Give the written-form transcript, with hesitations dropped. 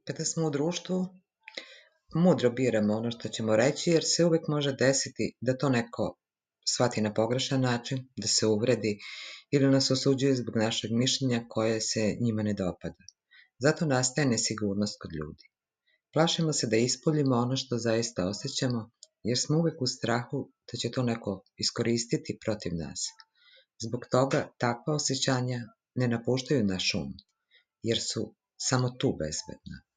Kada smo u društvu, mudro biramo ono što ćemo reći, jer se uvek može desiti da to neko shvati na pogrešan način, da se uvredi ili nas osuđuje zbog našeg mišljenja koje se njima ne dopada. Zato nastaje nesigurnost kod ljudi. Plašimo se da ispoljimo ono što zaista osjećamo, jer smo uvek u strahu da će to neko iskoristiti protiv nas. Zbog toga takva osjećanja ne napuštaju naš um, jer su samo tu bezbedna.